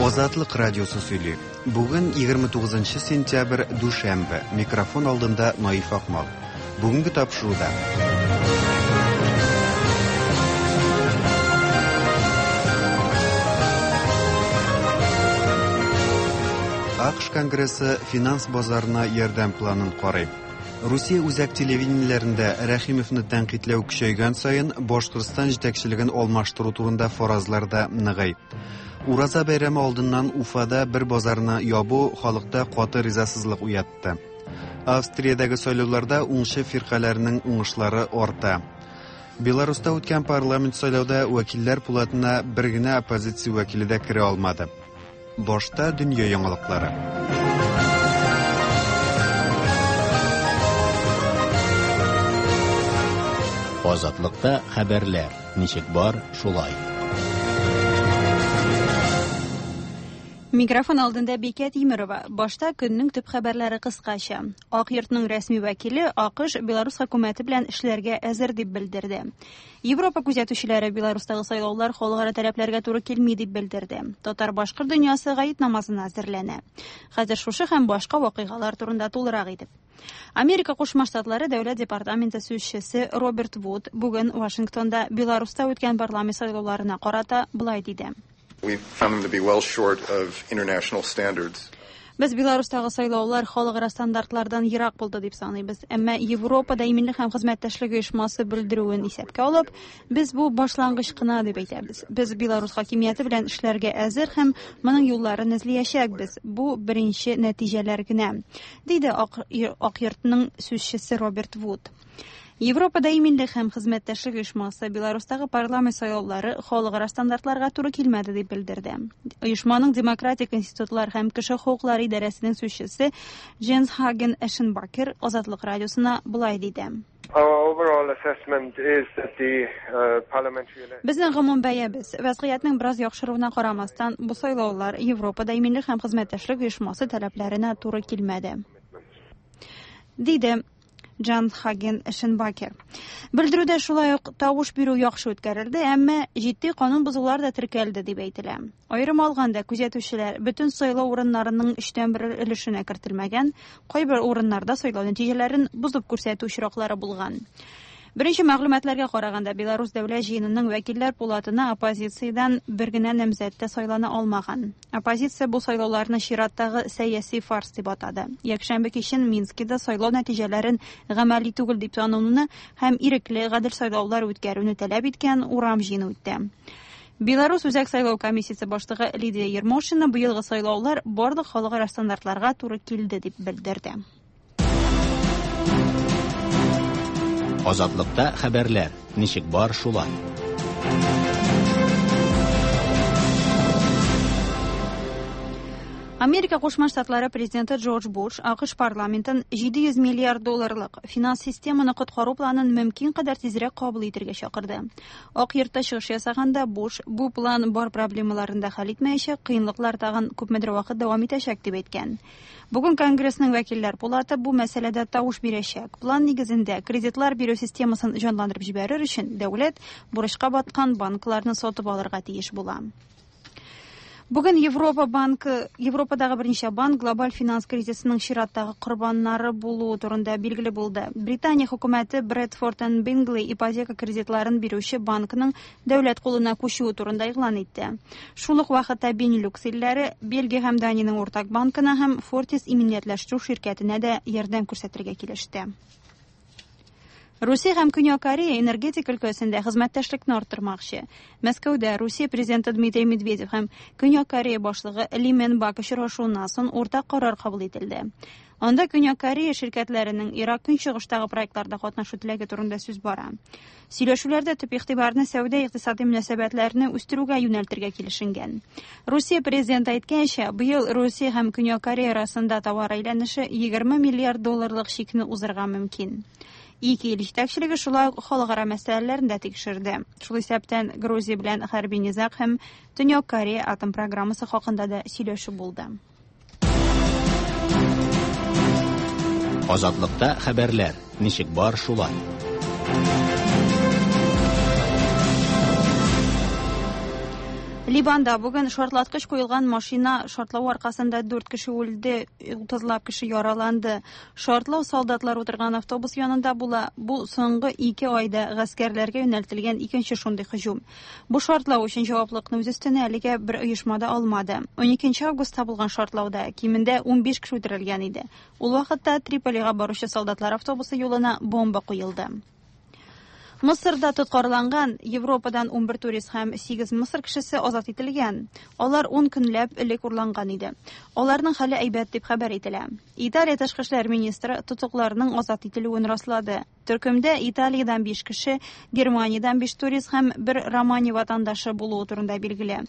Азатлык радиосы сөйли. Бүген 29 сентябрь, дүшәмбе. Микрофон алдында Наиф Акмал. Бүгенге тапшыруда. АКШ Конгрессы финанс базарына ярдәм планын карый. Русия үзәк телевидениеләрендә Рәхимовны тәнкыйтьләү көчәйгән саен Башкортстан җитәкчелеген алмаштыру турында фаразлар да ныгый. Ураза бәйрәме алдыннан Уфада бер базарны ябу халыкта каты ризасызлык уятты. Австриядәге сайлауларда уңчы фиркаләрнең уңышлары арта. Беларуста үткән парламент сайлауда вәкилләр пулатына бер генә оппозиция вәкиле дә керә алмады. Башта дөнья яңалыклары. Азатлыкта хәбәрләр ничек бар, шулай. Микрофон алдында Бикә Тимерова. Башта көннең төп хәбәрләре кыскача. Ак йортның рәсми вәкиле АКШ Беларус хөкүмәте белән эшләргә әзер дип белдерде. Европа күзәтүчеләре Беларустагы сайлаулар халыкара таләпләргә туры килми дип белдерде. Татар-башкорт дөньясы гает намазына әзерләнә. Хәзер шушы һәм башка вакыйгалар турында тулырак итеп. Америка Кушма Штатлары Дәүләт департаменты сүзчесе Роберт Вуд бүген Вашингтонда Беларуста үткән парламент сайлауларына карата былай диде. We found them to be well short of international standards. Без Беларустагы сайлаулар халыкара стандартлардан ерак булды дип саныйбыз. Әмма Европада иминлек һәм хезмәттәшлек оешмасы белдерүен исәпкә алып, без бу башлангыч кына дип әйтәбез. Без Беларус хакимияте белән эшләргә әзер һәм моның юлларын эзләячәкбез. Бу беренче нәтиҗәләр генә, диде Ак, Ак йортның сүзчесе Роберт Вуд. Европада иминлек һәм хезмәттәшлек оешмасы Беларустагы парламент сайлаулары халыкара стандартларга туры килмәде дип белдерде. Оешманың демократик институтлар һәм кеше хокуклары идарәсенең сүзчесе Дженс Хаген Эшенбакер Азатлык радиосына болай диде. Безнең гомум бәябез, вәзгыятьнең бераз яхшыруына карамастан, бу сайлаулар Европада иминлек һәм хезмәттәшлек оешмасы таләпләренә туры килмәде. Диде Джан Хаген Эшенбакер. Белдерүдә шулай ук тавыш бирү яхшы үткәрелде, әмма җитди канун бозулар да теркәлде дип әйтелә. Аерым алганда, күзәтүчеләр бөтен сайлау урыннарының өчтән бер өлешенә кертелмәгән, кайбер урыннарда сайлау нәтиҗәләрен бозып күрсәтү очраклары булган. Беренче мәгълүматларга караганда, Беларус дәүләт җыенының вәкилләр пулатына оппозициядән бер генә намзәт тә сайлана алмаган. Оппозиция бу сайлауларны чираттагы сәяси фарс дип атады. Якшәмбе кичен Минскида сайлау нәтиҗәләрен гамәли түгел дип тануны һәм ирекле, гадел сайлаулар үткәрүне таләп иткән урам җыены үтте. Беларус Үзәк сайлау комиссиясе башлыгы Лидия Ермошина быелгы сайлаулар барлык халыкара стандартларга туры килде дип белдерде. Азатлыкта хәбәрләр ничек бар, шулай. Америка Кушма Штатлары президенты Джордж Буш АКШ парламентын 700 миллиард долларлык финанс системаны коткару планын мөмкин кадәр тизрәк кабул итәргә чакырды. Ак йортта чыгыш ясаганда Буш бу план бар проблемаларын да хәл итмәячәк, кыенлыклар тагын күпмедер вакыт дәвам итәчәк дип әйткән. Бүген Конгрессның вәкилләр пулаты бу мәсьәләдә тавыш бирәчәк. План нигезендә кредитлар бирү системасын җанландырып җибәрер өчен дәүләт бурычка баткан банкларны сатып алырга тиеш була. Бүген Европа банкы, Европадагы берничә банк глобаль финанс кризисының чираттагы корбаннары булуы турында билгеле булды. Британия хөкүмәте Bradford and Bingley ипотека кредитларын бирүче банкның дәүләт кулына күчүе турында игълан итте. Шул ук вакытта Бенилюкс илләре Бельгия һәм Даниянең уртак банкына һәм Fortis иминиятләштерү ширкәтенә дә ярдәм күрсәтергә килеште. Русия һәм Көньяк Корея энергетика өлкәсендә хезмәттәшлекне арттырмакчы. Мәскәүдә Русия президенты Дмитрий Медведев һәм Көньяк Корея башлыгы Ли Мен Бак очрашуыннан соң уртак карар кабул ителде. Анда Көньяк Корея ширкәтләренең Ирак көнчыгыштагы проектларда катнашу теләге турында сүз бара. Сөйләшүләрдә төп игътибарны сәүдә-икътисади мөнәсәбәтләрне үстерүгә юнәлтергә килешенгән. Русия президенты әйткәнчә, быел Русия һәм Көньяк Корея арасында товар әйләнеше 20 миллиард долларлык чикне узырга мөмкин. Ике ил җитәкчелеге шулай ук халыкара мәсьәләләрен дә тикшерде. Шул исәптән Грузия белән хәрби низаг һәм Төньяк Корея атом программасы хакында да сөйләшү булды. Азатлыкта хәбәрләр ничек бар, шулай. Ливанда бүген шартлаткыч куелган машина шартлау аркасында 4 кеше үлде, 30лап кеше яраланды. Шартлау солдатлар утырган автобус янында була. Бу соңгы 2 айда гаскәрләргә юнәлтелгән икенче шундый һөҗүм. Бу шартлау өчен җаваплылыкны үз өстенә әлегә бер оешма да алмады. 12 августта булган шартлауда кимендә 15 кеше үтерелгән иде. Ул вакытта Триполига баручы солдатлар автобусы юлына бомба куелды. Мысырда тоткарланган Европадан 11 турист һәм 8 Мысыр кешесе азат ителгән. Алар 10 көнләп элек урланган иде. Аларның хәле әйбәт дип хәбәр ителә. Италия тышкы эшләр министры тотыкларның азат ителүен раслады. Төркемдә Италиядән 5 кеше, Германиядән 5 турист һәм бер Романия ватандашы булуы турында билгеле.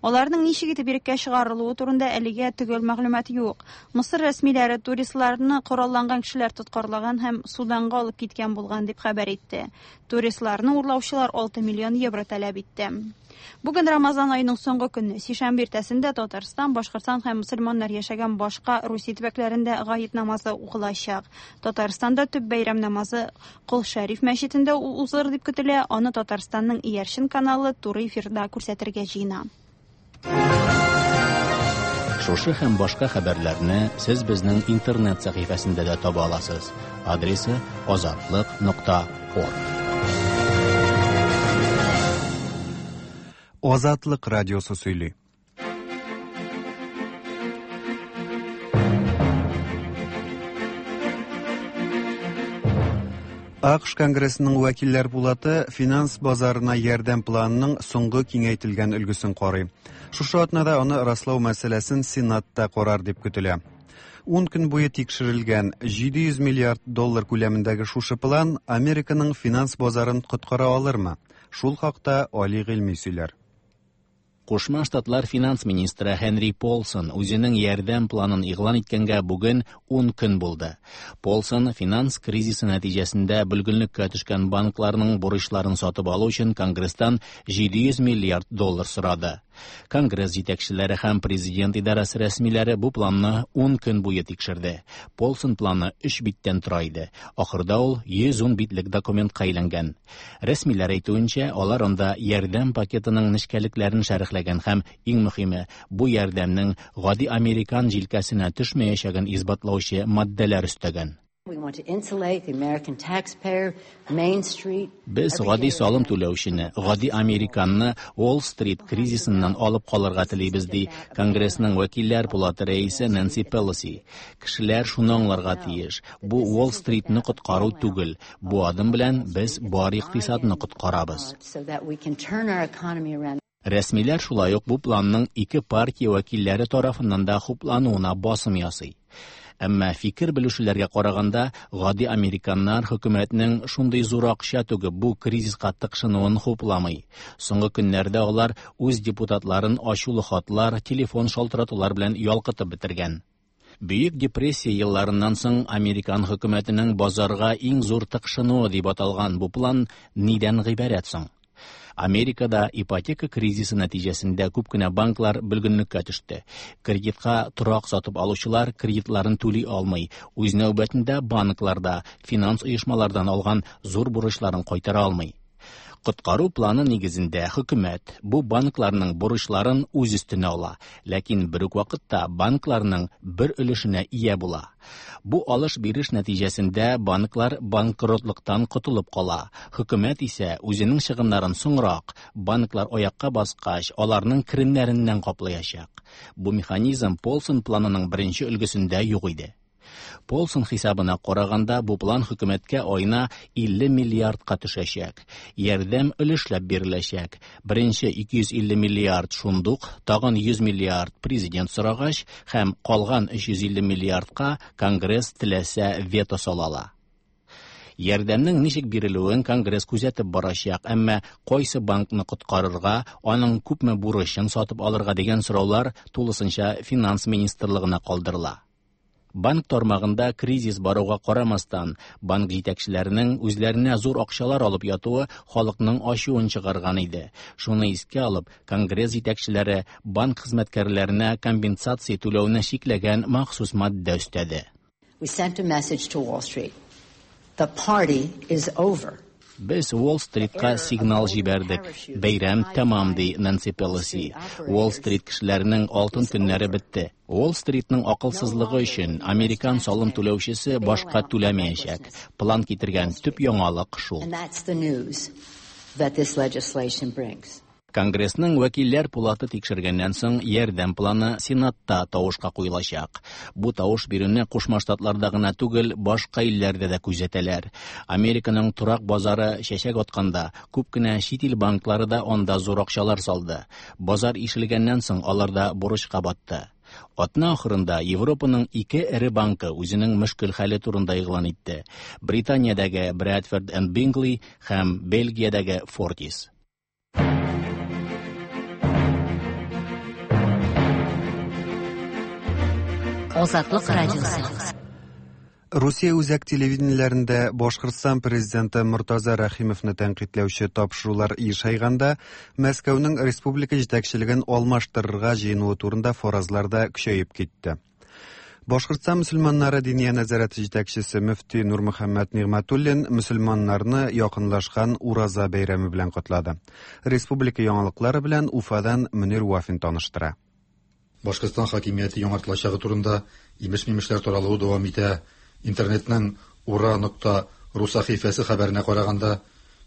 Аларның ничек итеп иреккә чыгарылуы турында әлегә төгәл мәгълүмат юк. Мысыр рәсмиләре туристларны коралланган кешеләр тоткарлаган һәм Суданга алып киткән булган дип хәбәр итте. Туристларны урлаучылар 6 миллион евро таләп итте. Бүген Рамазан аеның соңгы көне. Сишәмбе иртәсендә Татарстан, Башкортстан һәм мөселманнар яшәгән башка Русия төбәкләрендә гает намазы укылачак. Татарстанда төп бәйрәм намазы Кол Шәриф мәчетендә узыр дип көтелә. Аны Татарстанның Иярчен каналы туры эфирда күрсәтергә җыена. Шушы һәм башка хәбәрләрне сез безнең интернет сәхифәсендә дә таба аласыз. Адресы azatliq.org. Азатлык радиосы сөйли. АКШ Конгрессының вәкилләр пулаты финанс базарына ярдәм планының соңгы киңәйтелгән өлгесен карый. Шушы атнада аны раслау мәсьәләсен Сенатта карар дип көтелә. 10 көн буе тикшерелгән 700 миллиард доллар күләмендәге шушы план Американың финанс базарын коткара алырмы? Шул хакта Али Гыйльми сөйләр. Кушма Штатлар финанс министры Хенри Полсон үзенең ярдәм планын игълан иткәнгә бүген 10 көн булды. Полсон финанс кризисы нәтиҗәсендә бөлгенлеккә төшкән банкларның бурычларын сатып алу өчен Конгресстан 700 миллиард доллар сорады. Конгресс җитәкчеләре һәм президент идарәсе рәсмиләре бу планны 10 көн буе тикшерде. Полсон планы 3 биттән тора иде. Ахырда ул 110 битлек документка әйләнгән. Рәсмиләр әйтүенчә, алар анда ярдәм пакетының нечкәлекләрен шәрехләгән һәм иң мөһиме, бу ярдәмнең гади американ җилкәсенә төшмәячәген исбатлаучы матдәләр өстәгән. Без гади салым түләүчене, гади американны Уолл-стрит кризисыннан алып калырга телибез, ди Конгрессның вәкилләр пулаты рәисе Нэнси Пелоси. Кешеләр шуны аңларга тиеш. Бу Уолл-стритны коткару түгел. Бу адым белән без бар икътисадны коткарабыз. Рәсмиләр шулай ук бу планның ике партия вәкилләре тарафыннан да хуплануына басым ясый. Әмма фикер белешүләргә караганда, гади американнар хөкүмәтнең шундый зур акча түгеп бу кризиска тыкшынуын хупламый. Соңгы көннәрдә алар үз депутатларын ачулы хатлар, телефон шалтыратулар белән ялкытып бетергән. Бөек депрессия елларыннан соң американ хөкүмәтенең базарга иң зур тыкшынуы дип аталган бу план нидән гыйбарәт соң? Америкада ипотека кризисы нәтиҗәсендә күп кенә банклар бөлгенлеккә төште. Кредитка торак сатып алучылар кредитларын түли алмый. Үз нәүбәтендә банклар да финанс оешмалардан алган зур бурычларын кайтара алмый. Коткару планы нигезендә хөкүмәт бу банкларның бурычларын үз өстенә ала, ләкин бер үк вакытта банкларның бер өлешенә ия була. Бу алыш-биреш нәтиҗәсендә банклар банкротлыктан котылып кала. Хөкүмәт исә үзенең чыгымнарын соңрак, банклар аякка баскач, аларның керемнәреннән каплаячак. Бу механизм Полсон планының беренче өлгесендә юк иде. Полсон хисабына караганда, бу план хөкүмәткә аена 50 миллиардка төшәчәк. Ярдәм өлешләп биреләчәк. Беренче 250 миллиард шундук, тагын 100 миллиард президент сорагач һәм калган 350 миллиардка Конгресс теләсә вето сала ала. Ярдәмнең ничек бирелүен Конгресс күзәтеп барачак, әмма кайсы банкны коткарырга, аның күпме бурычын сатып алырга дигән сораулар тулысынча финанс министрлыгына калдырыла. Банк тармагында кризис баруга карамастан, банк җитәкчеләренең үзләренә зур акчалар алып ятуы халыкның ачуын чыгарган иде. Шуны искә алып, Конгресс җитәкчеләре банк хезмәткәрләренә компенсация түләүне чикләгән махсус маддә өстәде. We sent a message to Wall Street. The party is over. Без Уолл-стритка сигнал җибәрдек. Бәйрәм тәмам, ди Нэнси Пелоси. Уолл-стрит кешеләренең алтын көннәре бетте. Уолл-стритның акылсызлыгы өчен американ салым түләүчесе башка түләмәячәк. План китергән төп яңалык шул. Конгрессның вәкилләр пулаты тикшергәннән соң ярдәм планы Сенатта тавышка куелачак. Бу тавыш бирүне Кушма Штатларда гына түгел, башка илләрдә дә күзәтәләр. Американың торак базары чәчәк атканда, күп кенә чит ил банклары да анда зур акчалар салды. Базар ишелгәннән соң алар да бурычка батты. Атна ахырында Европаның ике эре банкы үзенең мөшкел хәле турында игълан итте. Британиядәге Bradford and Bingley һәм Бельгиядәге Fortis. Азатлык радиосы. Русия үзәк телевидениеләрендә Башкортстан президенты Мортаза Рәхимовны тәнкыйтьләүче тапшырулар ешайганда, Мәскәүнең республика җитәкчелеген алмаштырырга җыенуы турында фаразлар да көчәеп китте. Башкортстан мөселманнары диния нәзарәте җитәкчесе мөфти Нурмөхәммәт Нигъмәтуллин мөселманнарны якынлашкан Ураза бәйрәме белән котлады. Республика яңалыклары белән Уфадан Мөнир Вафин таныштыра. Башкортстан хакимияте яңартылачагы турында имеш-мимешләр таралуы дәвам итә. Интернетның ура.ру сәхифәсе хәбәренә караганда,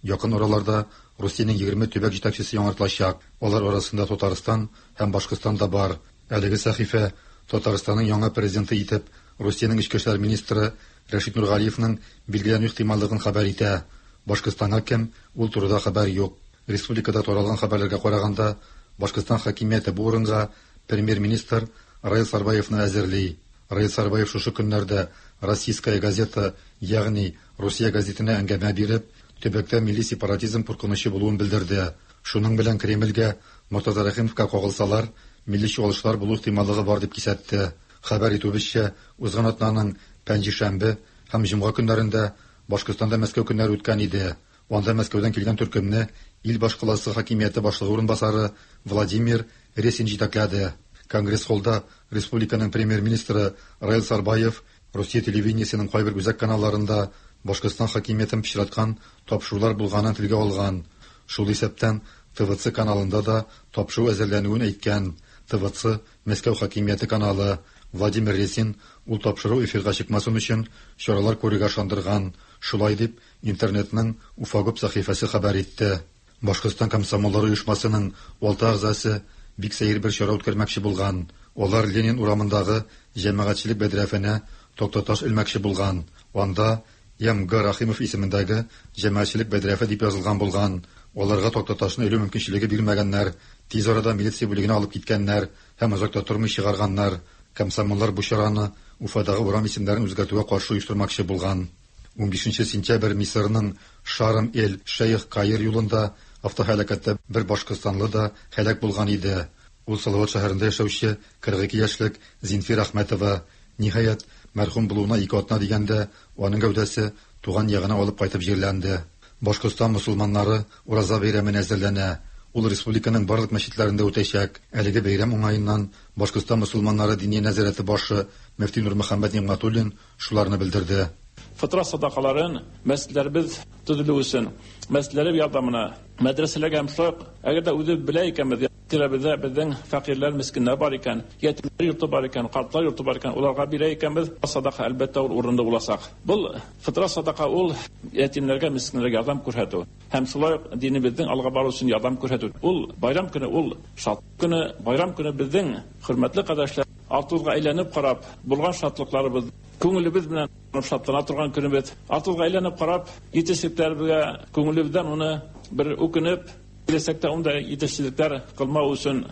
якын араларда Русиянең 20 төбәк җитәкчесе яңартылачак. Алар арасында Татарстан һәм Башкортстан да бар. Әлеге сәхифә Татарстанның яңа президенты итеп Русиянең эчке эшләр министры Рәшит Нургалиевның билгеләнү ихтималлыгын хәбәр итә. Башкортстанга кем, ул турыда хәбәр юк. Республикада таралган хәбәрләргә караганда, Башкортстан хакимияте бу урынга премьер-министр Раил Сарбаевны әзерли. Раил Сарбаев шушы көннәрдә Российская газета, ягъни Русия газетына әңгәмә биреп, төбәктә милли сепаратизм куркынычы булуын белдерде. Шуның белән Кремльгә Мортаза Рәхимовка кагылсалар, милли чуалышлар булу ихтималлыгы бар дип кисәтте. Хәбәр итүебезчә, узган атнаның пәнҗешәмбе һәм җомга көннәрендә Башкортстанда Мәскәү көннәре үткән иде. Анда Мәскәүдән килгән төркемне ил башкаласы хакимияте башлыгы урынбасары Владимир Ресин җитәкләде. Конгресс-холлда республиканың премьер-министры Раил Сарбаев Русия телевидениесенең кайбер үзәк каналларында Башкортстан хакимиятен пычраткан тапшырулар булганын телгә алган. Шул исәптән ТВЦ каналында да тапшыру әзерләнүен әйткән. ТВЦ Мәскәү хакимияте каналы. Владимир Ресин ул тапшыру эфирга чыкмасын өчен чаралар күрергә ышандырган. Шулай дип интернетның Уфагуб сәхифәсе хәбәр итте. Башкортстан комсомоллары оешмасының 6 әгъзасы бик сәер бер чара үткәрмәкче булган. Алар Ленин урамындагы җәмәгатьчелек бәдрәфенә тактаташ элмәкче булган. Анда М.Г. Рахимов исемендәге җәмәгатьчелек бәдрәфе дип язылган булган. Аларга тактаташны элү мөмкинчелеге бирмәгәннәр. Тиз арада милиция бүлегенә алып киткәннәр һәм озак та тормый чыгарганнар. Комсомоллар бу чараны Уфадагы урам исемнәрен үзгәртүгә каршы оештырмакчы булган. 15 сентябрь Мисырның Шарм-эль-Шейх Каир юлында автоһәлакәттә бер башкортстанлы да һәлак булган иде. Ул Салават шәһәрендә яшәүче 42 яшьлек Зинфир Әхмәтова. Ниһаять, мәрхүм булуына 2 атна дигәндә, аның гәүдәсе туган ягына алып кайтып җирләнде. Башкортстан мусулманнары Ураза бәйрәменә әзерләнә. Ул республиканың барлык мәчетләрендә үтәчәк. Әлеге бәйрәм уңаеннан Башкортстан мусулманнары диния нәзарәте башы мөфти Нурмөхәммәт Нигъмәтуллин шуларны белдерде. Фытра садакаларын мәсҗидләребез төзелү өчен, мәсҗидләр ярдәменә, мәдрәсәләргә һәм шулай ук, әгәр дә үзе белә икәнбез, тирәбездә безнең фәкыйрьләр, мескеннәр бар икән, ятимнәр йорты бар икән, картлар йорты бар икән, уларга бирә икәнбез, садака әлбәттә ул урынлы булачак. Бу фытра садака ул ятимнәргә, мескеннәргә ярдәм күрсәтү һәм шулай ук динебезнең алга бару өчен ярдәм күрсәтү. Ул байрам көне, ул шатлык көне, байрам көне безнең хөрмәтле кардәшләр, артыбызга әйләнеп карап, булган шатлыкларыбыз, күңелебез белән шатлана торган көнебез. Артыбызга әйләнеп карап, җитешсезлекләребезгә күңелебездән уны бер үкенеп, киләчәктә унда җитешсезлекләр кылмау өчен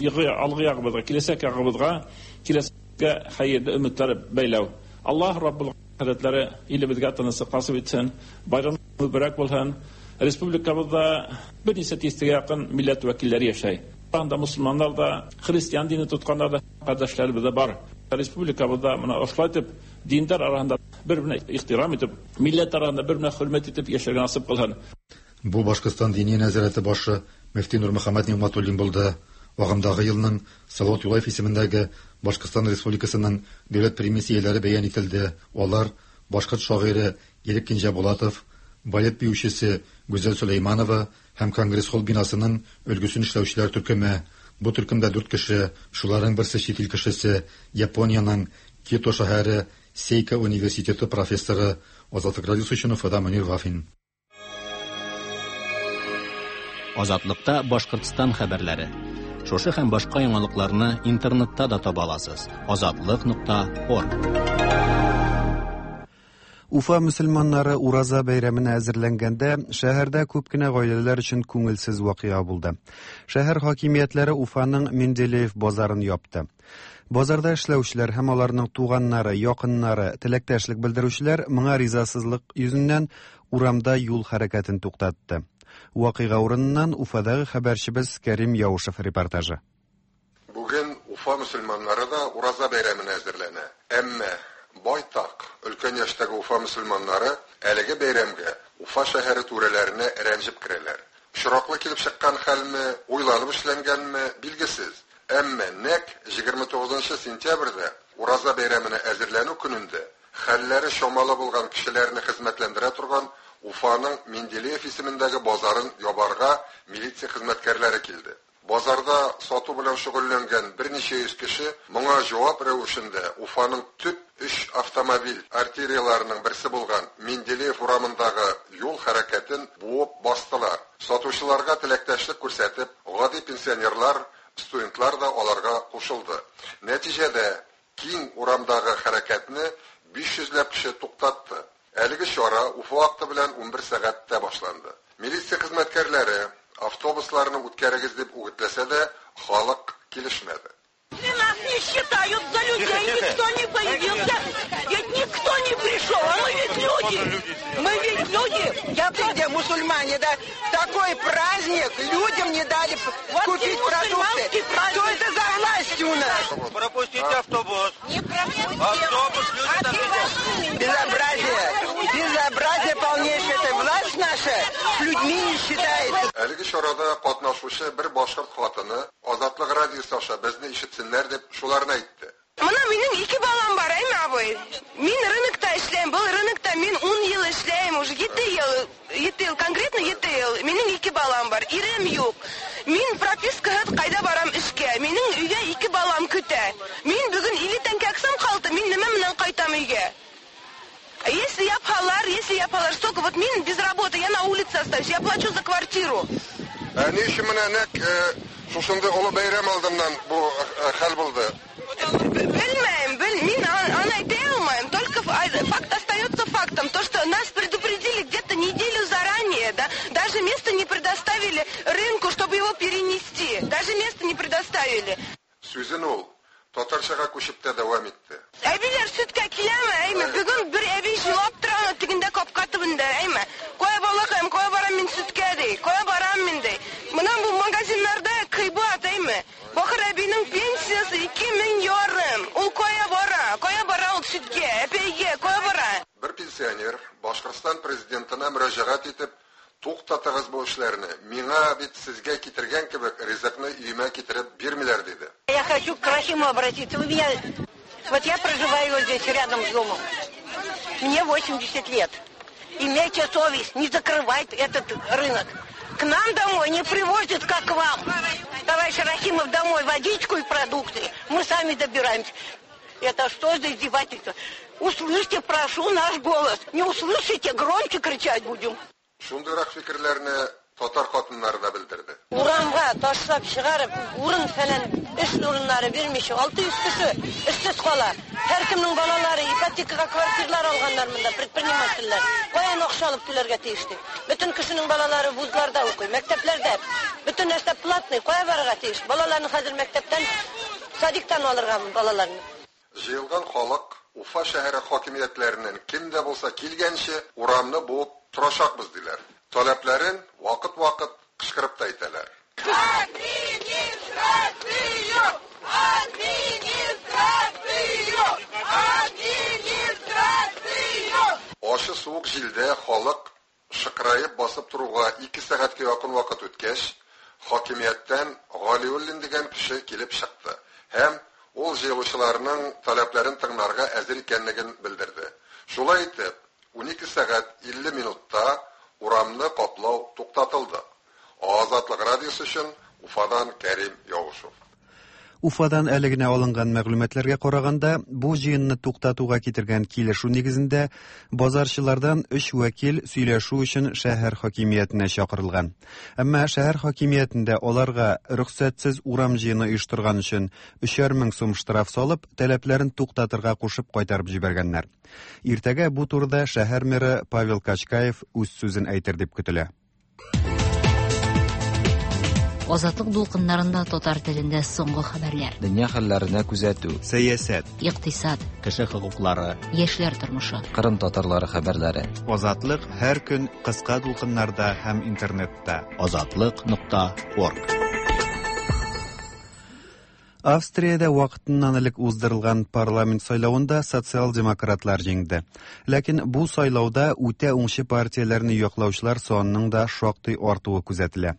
алгы ягыбызга, киләчәк ягыбызга, киләчәккә хәерле өметләр бәйләү. Аллаһ Раббул хәзрәтләре илебезгә тынычлык насыйп итсен, байрам мөбарәк булсын. Республикабызда берничә тистәгә якын милләт вәкилләре яшәй. Анда мусульманнар да, христиан дине тотканнар да, кардәшләребез дә бар. Республикабызда менә ошолай итеп диндар арасында бер-беренә ихтирам итеп, милләт арасында бер-беренә хөрмәт итеп яшәргә насыйп кылсын. Бу Башкортстан диния нәзарәте башы мөфти Нурмөхәммәт Нигъмәтуллин булды. Агымдагы елның Салават Юлаев исемендәге Башкортстан Республикасының дәүләт премиясе ияләре бәян ителде. Алар башкорт шагыйре Ирек Кинҗәбулатов, балет биючесе Гүзәл Сөләйманова һәм Конгресс-холл бинасының өлгесен эшләүчеләр төркеме. Бу төркемдә дүрт кеше, шуларның берсе чит ил кешесе, Япониянең Киото шәһәре Сейка университеты профессоры. Азатлык радиосы өчен Уфада Мөнир Вафин. Азатлыкта Башкортстан хәбәрләре. Шушы һәм башка яңалыкларны интернетта да таба аласыз. Азатлык.орг. Уфа мөселманнары Ураза бәйрәменә әзерләнгәндә, шәһәрдә күп кенә гаиләләр өчен күңелсез вакыйга булды. Шәһәр хакимиятләре Уфаның Менделеев базарын япты. Базарда эшләүчеләр һәм аларның туганнары, якыннары, теләктәшлек белдерүчеләр моңа ризасызлык йөзеннән урамда юл хәрәкәтен туктатты. Вакыйга урыныннан Уфадагы хәбәрчебез Кәрим Яушев репортажы. Бүген Уфа мөселманнары да Ураза бәйрәменә әзерләнә. Әмма байтак өлкән яшьтәге Уфа мөселманнары әлеге бәйрәмгә Уфа шәһәре түрәләренә рәнҗеп керәләр. Очраклы килеп чыккан хәлме, уйланып эшләнгәнме, билгесез. Әмма нәкъ 29 сентябрьдә Ураза бәйрәменә әзерләнү көнендә хәлләре чамалы булган кешеләрне хезмәтләндерә торган Уфаның Менделеев исемендәге базарын ябарга милиция хезмәткәрләре килде. Базарда сату белән шөгыльләнгән берничә йөз кеше моңа җавап рәвешендә Уфаның төп өч автомобиль артерияләренең берсе булган Менделеев урамындагы юл хәрәкәтен буып бастылар. Сатучыларга теләктәшлек күрсәтеп, гади пенсионерлар, студентлар да аларга кушылды. Нәтиҗәдә киң урамдагы хәрәкәтне 500 ләп кеше туктатты. Әлеге чара Уфа вакыты белән 11 сәгатьтә башланды. Милиция хезмәткәрләре автобусларны үткәрегез дип үгетләсә дә, халык килешмәде. Нас не считают за людей, никто не появился, ведь никто не пришел, а мы ведь люди, мы ведь люди. Я где мусульмане, да? Такой праздник людям не дали вот купить продукты. Что это за власть у нас? Пропустите автобус. Не пропустим. Автобус, люди там сидят. Безобразие, безобразие полнейшее. Это власть наша с людьми не считается. Әлеге чарада катнашучы бер башкорт хатыны Азатлык радиосы аша безне ишетсеннәр дип шуларны әйтте. Мына минем ике балам бар, әйме, абый. Мин рынокта эшләйм, был рынокта мин 10 ел эшләйм, уже 7 ел, 7 ел, конкретно 7 ел. Минем ике балам бар, ирем юк. Мин пропискага кайда барам эшкә. Минем өйгә ике балам көтә. Мин бүген 50 тәңкә аксам калды, мин нимә белән кайтам өйгә? Если япалар, если япалар, столько вот мин без работы, я на улице остаюсь, я плачу за квартиру. Ә ни өчен менә нәкъ шушындый олы бәйрәм алдыннан бу хәл булды? Белмәйм, мин аны әйтә алмыйм. Только факт остается фактом. То, что нас предупредили где-то неделю заранее, да, даже место не предоставили рынку, чтобы его перенести. Даже место не предоставили. Сүзен ул татарчага күчеп тә дәвам итте. Әбиләр сөткә киләме, әйме? Бүген бер әби җылап тора тегендә капка төбендә, әйме? Кая балакаем, кая барам мин сөткә ди, кая барам мин ди. Мына бу магазиннарда кыйбат, әйме? Бахыр әбинең пенсиясе 2500. Ул кая бара? Кая бара ул сөткә, әпәйгә, кая бара? Бер пенсионер Башкортстан президентына мөрәҗәгать итеп, туктатыгыз бу эшләрне. Миңа бит сезгә китергән кебек ризыкны өемә китереп бирмиләр диде. Я хочу к Рахиму обратиться. Вы меня... Вот я проживаю вот здесь рядом с домом. Мне 80 лет. Имейте совесть, не закрывать этот рынок. К нам домой не привозят, как к вам. Товарищ Рахимов домой водичку и продукты. Мы сами добираемся. Это что за издевательство? Услышьте, прошу, наш голос. Не услышите, громче кричать будем. Шундыйрак фикерләрне татар хатыннары да белдерде. Урамга ташлап чыгарып, урын фәлән эш урыннары бирмичә, 600 кеше эшсез кала. Һәркемнең балалары ипотекага квартиралар алганнар монда, предпринимательләр. Каян акча алып түләргә тиеш ди? Бөтен кешенең балалары вузларда укый, мәктәпләрдә. Бөтен нәрсә платный, кая барырга тиеш? Балаларны хәзер мәктәптән, садиктан алырга балаларны. Җыелган халык Уфа шәһәре хакимиятләреннән кем дә булса килгәнче урамны буып торачакбыз диләр. Таләпләрен вакыт-вакыт кычкырып та әйтәләр. Администрацию! Администрацию! Администрацию! Ачы суык җилдә халык шыкраеп басып торуга 2 сәгатькә якын вакыт үткәч, хакимияттән Галиуллин дигән кеше килеп чыкты һәм ул җыелучыларның таләпләрен тыңларга әзер икәнлеген белдерде. Шулай итеп, 12 сәгать 50 минутта радиосы өчен Уфадан Кәрим Яушев. Уфадан әле генә алынган мәгълүматларга караганда, бу җыенны туктатуга китергән килешү нигезендә базарчылардан өч вәкил сөйләшү өчен шәһәр хакимиятенә чакырылган. Әмма шәһәр хакимиятендә аларга рөхсәтсез урам җыены оештырган өчен 3000 сум штраф салып, таләпләрен туктатырга кушып кайтарып җибәргәннәр. Иртәгә бу турыда шәһәр мэры Павел Качкаев үз сүзен әйтер дип көтелә. Азатлык дулкыннарында татар телендә соңгы хәбәрләр. Дөнья хәлләренә күзәтү. Сәясәт. Икътисад. Кеше хокуклары. Яшьләр тормышы. Кырым татарлары хәбәрләре. Азатлык һәр көн кыска дулкыннарда һәм интернетта. Азатлык.орг. Австриядә вакытыннан элек уздырылган парламент сайлавында социал-демократлар җиңде. Ләкин бу сайлауда үтә уңчы партияләрне яклаучылар санының да шактый артуы күзәтелә.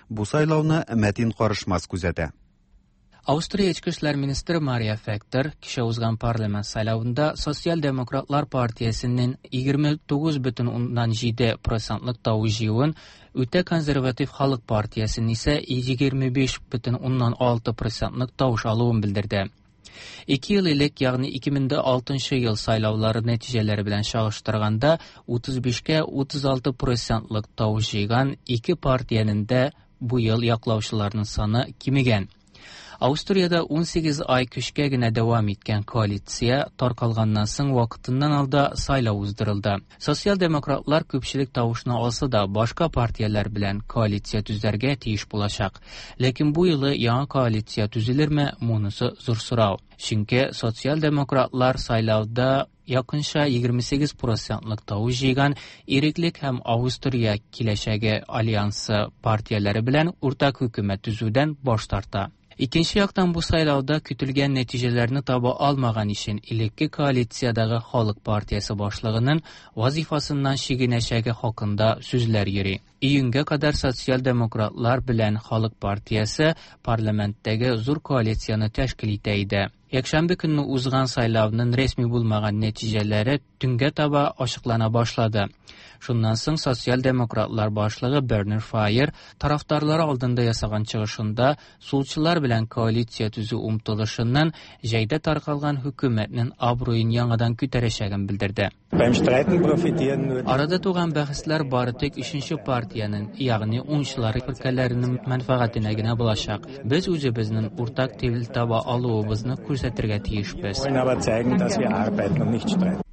Бу сайлауны Мәтин Карышмас күзәтә. Австрия Эчке эшләр министры Мария Фектор кичә узган парламент сайлавында Социал-демократлар партиясенең 29,7 процентлык тавыш җыюын, үтә консерватив халык партиясенең исә 25,6 процентлык тавыш алуын белдерде. 2 ел элек, ягъни 2006 ел сайлаулары нәтиҗәләре белән чагыштырганда, 35-кә 36 процентлык тавыш җыйган ике партиянең дә бу ел яклаучыларның саны кимегән. Австриядә 18 ай көчкә генә дәвам иткән коалиция таркалганнан соң вакытыннан алда сайлау уздырылды. Социал-демократлар күпчелек тавышны алса да, башка партияләр белән коалиция төзәргә тиеш булачак. Ләкин бу юлы яңа коалиция төзелерме, монысы зур сорау. Чөнки социал-демократлар сайлауда якынча 28 процентлык тавыш җыйган Иреклек һәм Австрия киләчәге альянсы партияләре белән уртак хөкүмәт төзүдән баш тарта. Икенче яктан бу сайлауда көтелгән нәтиҗәләрне таба алмаган өчен элекке коалициядәге Халык партиясе башлыгының вазифасыннан чигенәчәге хакында сүзләр йөри. Июньгә кадәр социал-демократлар белән Халык партиясе парламенттәге зур коалицияне тәшкил итә иде. Якшәмбе көнне узган сайлауның рәсми булмаган нәтиҗәләре төнгә таба ачыклана башлады. Шуннан соң социал-демократлар башлыгы Бернер Файер тарафдарлары алдында ясаган чыгышында сулчылар белән коалиция төзү омтылышыннан җәйдә таркалган хөкүмәтнең абруен яңадан күтәрәчәген белдерде. Арада туган бәхәсләр бары тик өченче партиянең, ягъни уңчылар фиркаләренең мәнфәгатенә генә булачак. Без үзебезнең уртак тел таба алуыбызны күрсәтергә тиешбез.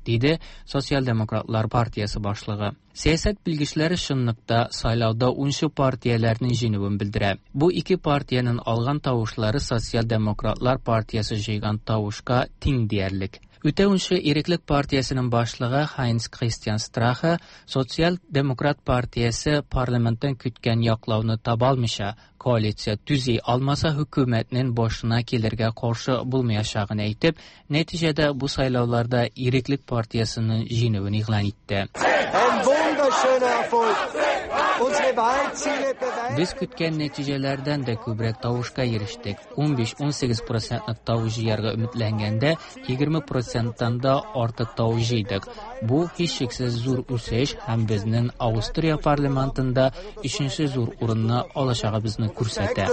Диде Социал-демократлар партиясе башлыгы. Сәясәт белгечләре чынлыкта сайлауда унчы партияләрнең җиңүен белдерә. Бу ике партиянең алган тавышлары Социал-демократлар партиясе җыйган тавышка тиң диярлек. Үтә унчы Иреклек партиясенең башлыгы Хайнц Кристиан Страхе Социал-демократ партиясе парламенттан көткән яклауны таба алмыйча, коалиция төзи алмаса хөкүмәтнең башына килергә каршы булмаячагын әйтеп, нәтиҗәдә бу сайлауларда Иреклек партиясенең җиңүен игълан итте. Без көткән нәтиҗәләрдән дә күбрәк тавышка ирештек. 15-18 процентлык тавыш җыярга өметләнгәндә, 20 проценттан да артык тавыш җыйдык. Бу һичшиксез зур үсеш һәм безнең Австрия парламентында өченче зур урынны алачагыбызны күрсәтә.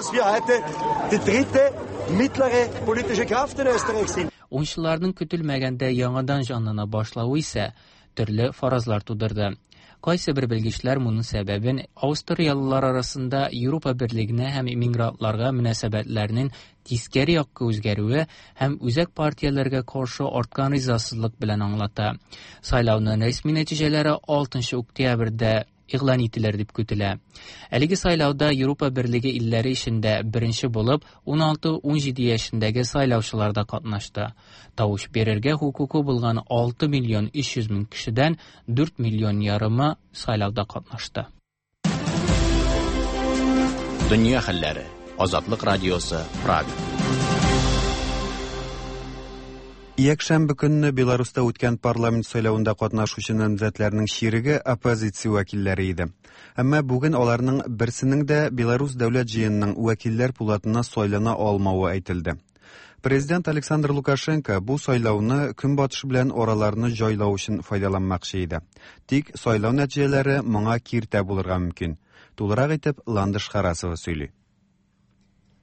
Уңчыларның көтелмәгәндә яңадан җанлана башлавы исә төрле фаразлар тудырды. Кайсы бер белгечләр моның сәбәбен австриялылар арасында Европа берлегенә һәм иммигрантларга мөнәсәбәтләрнең тискәре якка үзгәрүе һәм үзәк партияләргә каршы арткан ризасызлык белән аңлата. Сайлауның рәсми нәтиҗәләре 6 октябрьдә игълан ителер дип көтелә. Әлеге сайлауда Европа берлеге илләре эчендә беренче булып 16-17 яшендәге сайлаучылар да катнашты. Тавыш бирергә хокукы булган 6 миллион 300 мең кешедән 4 миллион ярымы сайлауда катнашты. Дөнья хәлләре. Азатлык радиосы, Прага. Якшәмбе көнне Беларуста үткән парламент сайлавында катнашучы намзәтләрнең чиреге оппозиция вәкилләре иде. Әмма бүген аларның берсенең дә Беларус дәүләт җыенының вәкилләр пулатына сайлана алмавы әйтелде. Президент Александр Лукашенко бу сайлауны Көнбатыш белән араларны җайлау өчен файдаланмакчы иде. Тик сайлау нәтиҗәләре моңа киртә булырга мөмкин. Тулырак итеп Ландыш Харасова сөйли.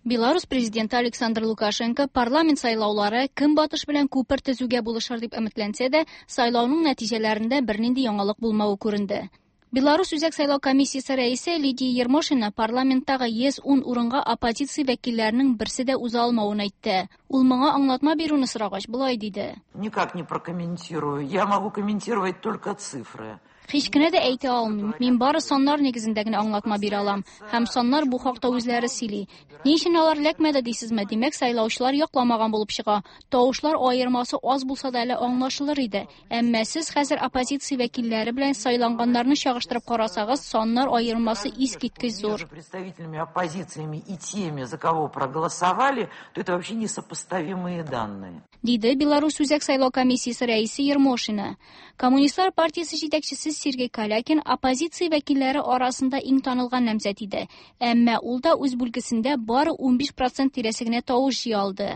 Беларусь президенты Александр Лукашенко парламент сайлаулары Көнбатыш белән күпер төзүгә булышыр дип өметләнсә дә, сайлауның нәтиҗәләрендә бернинди яңалык булмавы күренде. Беларусь Үзәк сайлау комиссиясе рәисе Лидия Ермошина парламенттагы 110 урынга оппозиция вәкилләренең берсе дә уза алмавын әйтте. Ул моңа аңлатма бирүне сорагач, болай диде. Никак не прокомментирую. Я могу комментировать только цифры. Һич кенә дә әйтә алмыйм. Мин бары саннар нигезендә генә аңлатма бирә алам. Һәм саннар бу хакта үзләре сөйли. Ни өчен алар эләкмәде дисезме? Димәк, сайлаучылар якламаган булып чыга. Тавышлар аермасы аз булса да әле аңлашылыр иде. Әмма сез хәзер оппозиция вәкилләре белән сайланганнарны чагыштырып карасагыз, саннар аермасы искиткеч зур. Между представителями оппозициями и теми, за кого проголосовали, то это вообще несопоставимые данные. Диде Беларусь Үзәк сайлау комиссиясе рәисе Ермошина. Коммунистлар партиясе җитәкчесе Сергей Калякин оппозиция вәкилләре арасында иң танылган намзәт иде. Әмма ул да үз бүлгесендә бары 15% тирәсе генә тавыш җыя алды.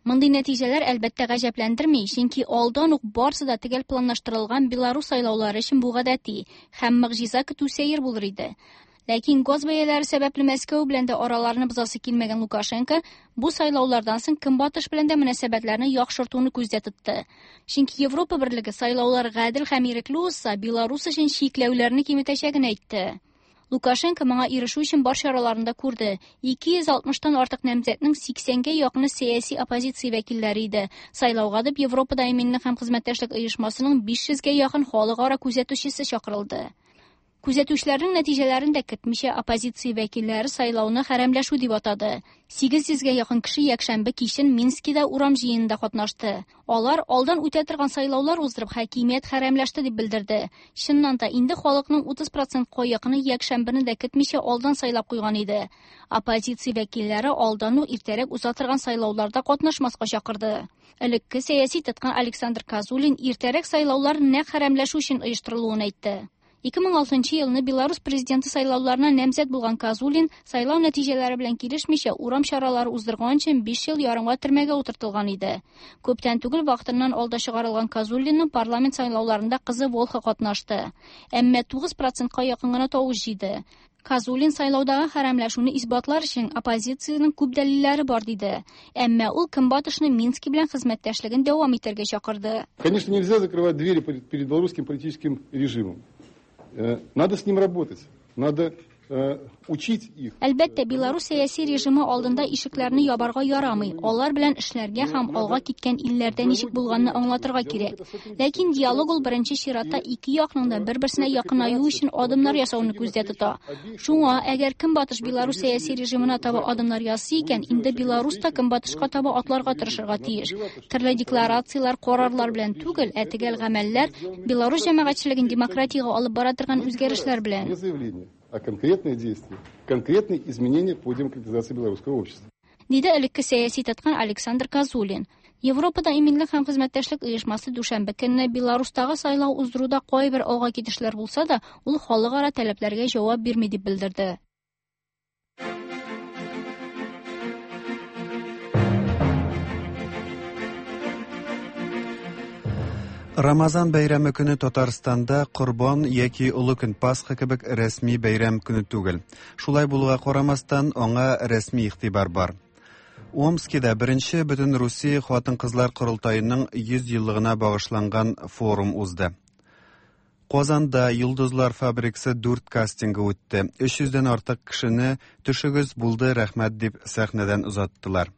Мондый нәтиҗәләр әлбәттә гаҗәпләндерми, чөнки алдан ук барысы да төгәл планлаштырылган Беларусь сайлаулары өчен бу гадәти һәм могҗиза көтү сәер булыр иде. Ләкин газ бәяләре сәбәпле Мәскәү белән дә араларны бозасы килмәгән Лукашенко бу сайлаулардан соң Көнбатыш белән дә мөнәсәбәтләрне яхшыртуны күздә тотты. Чөнки Европа берлеге сайлаулар гадел һәм ирекле узса, Беларусь өчен чикләүләрне киметәчәген әйтте. Лукашенко моңа ирешү өчен бар чараларын да күрде. 260-тан артык намзәтнең 80-гә якыны сәяси оппозиция вәкилләре иде. Сайлауга дип Европада иминлек һәм хезмәттәшлек оешмасының 500-гә якын халыкара күзәтүчесе чакырылды. Күзәтүчеләрнең нәтиҗәләрен дә көтмичә оппозиция вәкилләре сайлауны хәрәмләшү дип атады. 800-гә якын кеше якшәмбе кичен Минскида урам җыенында катнашты. Алар алдан үтә торган сайлаулар уздырып хакимият хәрәмләште дип белдерде. Чыннан да инде халыкның 30%-ка якыны якшәмбене дә көтмичә алдан сайлап куйган иде. Оппозиция вәкилләре алдан ук иртәрәк уза торган сайлауларда катнашмаска чакырды. Элекке сәяси тоткын Александр Козулин иртәрәк сайлаулар нәкъ хәрәмләшү өчен оештырылуын әйтте. 2006 елны Беларусь президенты сайлауларына намзәт булган Козулин сайлау нәтиҗәләре белән килешмичә урам чаралары уздырган өчен 5 ел ярымга төрмәгә утыртылган иде. Күптән түгел вакытыннан алда чыгарылган Козулинның парламент сайлауларында кызы Волха катнашты. Әмма 9%-ка якын гына тавыш җыйды. Козулин сайлаудагы хәрәмләшүне исбатлар өчен оппозициянең күп дәлилләре бар диде. Әмма ул Көнбатышны Мински белән хезмәттәшлеген дәвам итәргә чакырды. Конечно, нельзя закрывать двери перед белорусским политическим режимом. Надо с ним работать, надо учить их. Әлбәттә, Беларусь сәяси режимы алдында ишекләрне ябарга ярамый. Алар белән эшләргә һәм алга киткән илләрдә ничек булганны аңлатырга кирәк. Ләкин диалог ул беренче чиратта ике якның да бер-берсенә якынаю өчен адымнар ясауны күздә тота. Шуңа, әгәр Көнбатыш Беларусь сәяси режимына таба адымнар ясый икән, инде Беларусь та Көнбатышка таба атларга тырышырга тиеш. Төрле декларацияләр, карарлар белән түгел, ә төгәл гамәлләр Беларусь җәмәгатьчелеген демократиягә алып бара торган үзгәрешләр белән. А конкретные действия, конкретные изменения по демократизации белорусского общества. Диде элекке сәяси тоткын Александр Козулин. Европада иминлек һәм хезмәттәшлек оешмасы дүшәмбе көнне Беларустагы сайлау уздыруда кайбер алга китешләр булса да, ул халыкара таләпләргә җавап бирми дип белдерде. Рамазан бәйрәме көне Татарстанда Корбан яки Олы көн Пасха кебек рәсми бәйрәм көне түгел. Шулай булуга карамастан, аңа рәсми игътибар бар. Омскида беренче бөтен Русия хатын-кызлар корылтаеның 100 еллыгына багышланган форум узды. Казанда Йолдызлар фабрикасы 4 кастингы үтте. 300дән артык кешене төшегез булды, рәхмәт дип сәхнәдән озаттылар.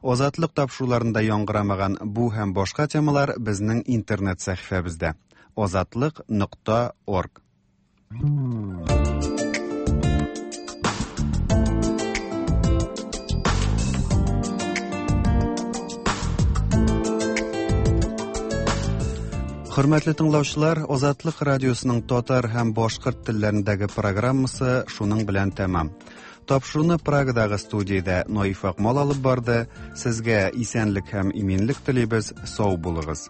Азатлык тапшыруларында яңгырамаган бу һәм башка темалар безнең интернет сәхифәбездә. Азатлык.орг. Хөрмәтле тыңлаучылар, Азатлык радиосының татар һәм башкорт телләрендәге программасы шуның белән тәмам. Тапшыруны Прагадагы студиядә Наиф Акмал алып барды. Сезгә исәнлек һәм иминлек телибез. Сау булыгыз.